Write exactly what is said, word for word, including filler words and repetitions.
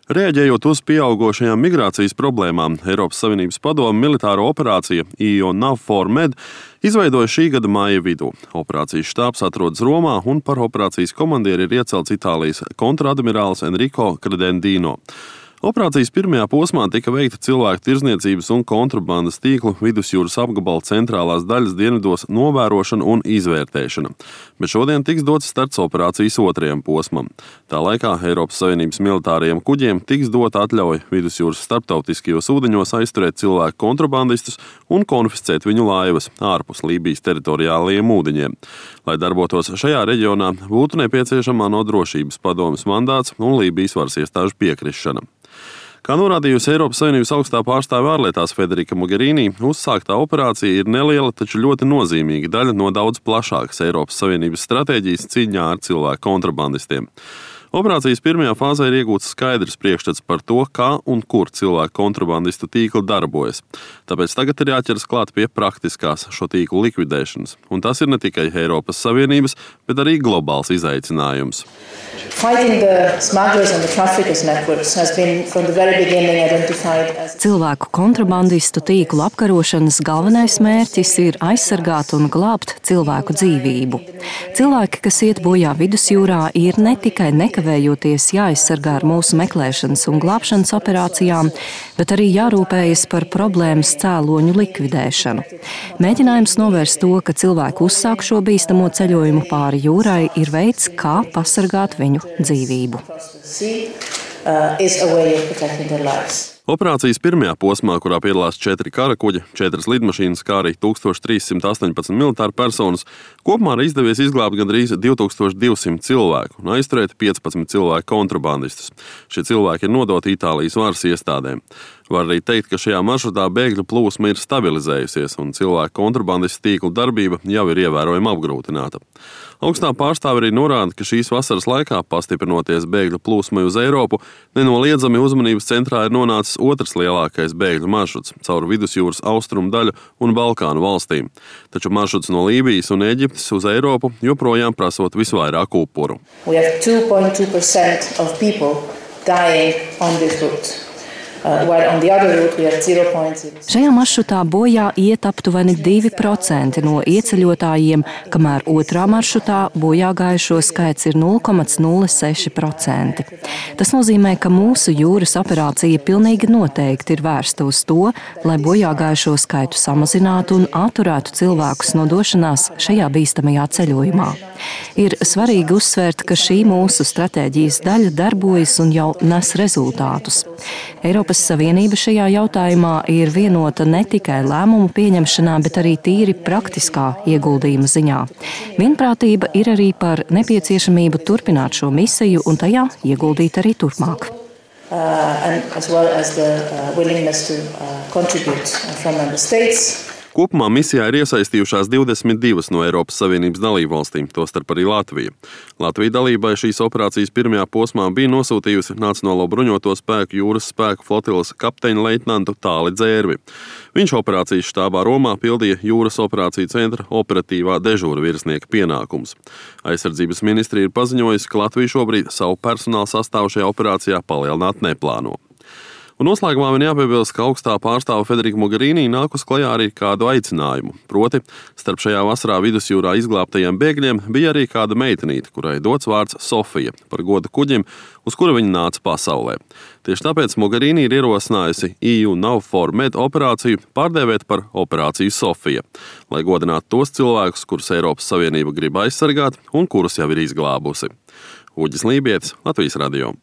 Rēģējot uz pieaugošajām migrācijas problēmām, Eiropas Savienības padome militāro operācija E U NAVFOR Med izveidoja šī gada māja vidū. Operācijas štābs atrodas Romā un par operācijas komandieri ir iecelts Itālijas kontradmirālis Enrico Credendino. Operācijas pirmajā posmā tika veikta cilvēku tirdzniecības un kontrabandas tīklu vidusjūras apgabala centrālās daļas dienvidos novērošana un izvērtēšana, bet šodien tiks dots starts operācijas otrajam posmam. Tā laikā Eiropas Savienības militārajiem kuģiem tiks dota atļauja vidusjūras starptautiskajos ūdeņos aizturēt cilvēku kontrabandistus un konfiscēt viņu laivas ārpus Lībijas teritoriālajiem ūdeņiem. Lai darbotos šajā reģionā, būtu nepieciešama ANO drošības padomes mandāts un Lībijas varas iestāžu piekrišana. Kā norādījusi Eiropas Savienības augstā pārstāve ārlietās Federica Mogherini, uzsāktā operācija ir neliela, taču ļoti nozīmīga daļa no daudz plašākas Eiropas Savienības stratēģijas cīņā ar cilvēku kontrabandistiem. Operācijas pirmajā fāzē ir iegūts skaidrs priekšstats par to, kā un kur cilvēku kontrabandistu tīkli darbojas. Tāpēc tagad ir jāķeras klāt pie praktiskās šo tīklu likvidēšanas. Un tas ir ne tikai Eiropas Savienības, bet arī globāls izaicinājums. Cilvēku kontrabandistu tīklu apkarošanas galvenais mērķis ir aizsargāt un glābt cilvēku dzīvību. Cilvēki, kas iet bojā vidusjūrā, ir ne tikai nekavējoties jāaizsargā ar mūsu meklēšanas un glābšanas operācijām, bet arī jārūpējas par problēmas cēloņu likvidēšanu. Mēģinājums novērst to, ka cilvēki uzsāk šo bīstamo ceļojumu pāri jūrai, ir veids, kā pasargāt viņu dzīvību. Operācijas pirmajā posmā, kurā piedalās četri karakuģi, četras lidmašīnas, kā arī tūkstoš trīs simt astoņpadsmit militāru personas, kopumā ir izdevies izglābt gandrīz divi tūkstoši divi simti cilvēku un aizturēt piecpadsmit cilvēku kontrabandistus. Šie cilvēki ir nodoti Itālijas varas iestādēm. Var arī teikt, ka šajā maršrutā bēgļu plūsma ir stabilizējusies un cilvēku kontrabandistu tīklu darbība jau ir ievērojami apgrūtināta. Augstā pārstāve arī norāda, ka šīs vasaras laikā, pastiprinoties bēgļu plūsmai uz Eiropu, nenoliedzami uzmanības centrā ir nonācis otrs lielākais bēgļu maršruts caur vidusjūras austrumu daļu un Balkānu valstīm. Taču maršruts no Lībijas un Eģiptes uz Eiropu joprojām prasot visvairāk upuru. Šajā maršrutā bojā iet aptuveni divi procenti no ieceļotājiem, kamēr otrā maršrutā bojā gājušo skaits ir nulle komats nulle seši procenti. Tas nozīmē, ka mūsu jūras operācija pilnīgi noteikti ir vērsta uz to, lai bojā gājušo skaitu samazinātu un atturētu cilvēkus no došanās šajā bīstamajā ceļojumā. Ir svarīgi uzsvērt, ka šī mūsu stratēģijas daļa darbojas un jau nes rezultātus. Eiropas Savienība šajā jautājumā ir vienota ne tikai lēmumu pieņemšanā, bet arī tīri praktiskā ieguldījuma ziņā. Vienprātība ir arī par nepieciešamību turpināt šo misiju un tajā ieguldīt arī turpmāk. Kopumā misijā ir iesaistījušās divdesmit divas no Eiropas Savienības dalībvalstīm, tostarp arī Latvija. Latvija dalībai šīs operācijas pirmajā posmā bija nosūtījusi Nacionālo bruņoto spēku jūras spēku flotiles kapteiņa leitnantu Tāli Dzērvi. Viņš operācijas štābā Romā pildīja jūras operāciju centra operatīvā dežūra virsnieka pienākumus. Aizsardzības ministrija ir paziņojusi, ka Latvija šobrīd savu personāla sastāvu šajā operācijā palielināt neplāno. Un noslēgumā vien jāpiebilst, ka augstā pārstāve Federica Mogherini nāk uz klajā arī kādu aicinājumu. Proti, starp šajā vasarā vidusjūrā izglābtajiem bēgļiem bija arī kāda meitenīte, kurai dots vārds Sofija, par godu kuģim, uz kura viņa nāca pasaulē. Tieši tāpēc Mogherini ir ierosinājusi E U NAVFOR Med operāciju pārdēvēt par operāciju Sofija, lai godinātu tos cilvēkus, kurus Eiropas Savienība grib aizsargāt un kurus jau ir izglābusi. Uģis Lībietis, Latvijas radio.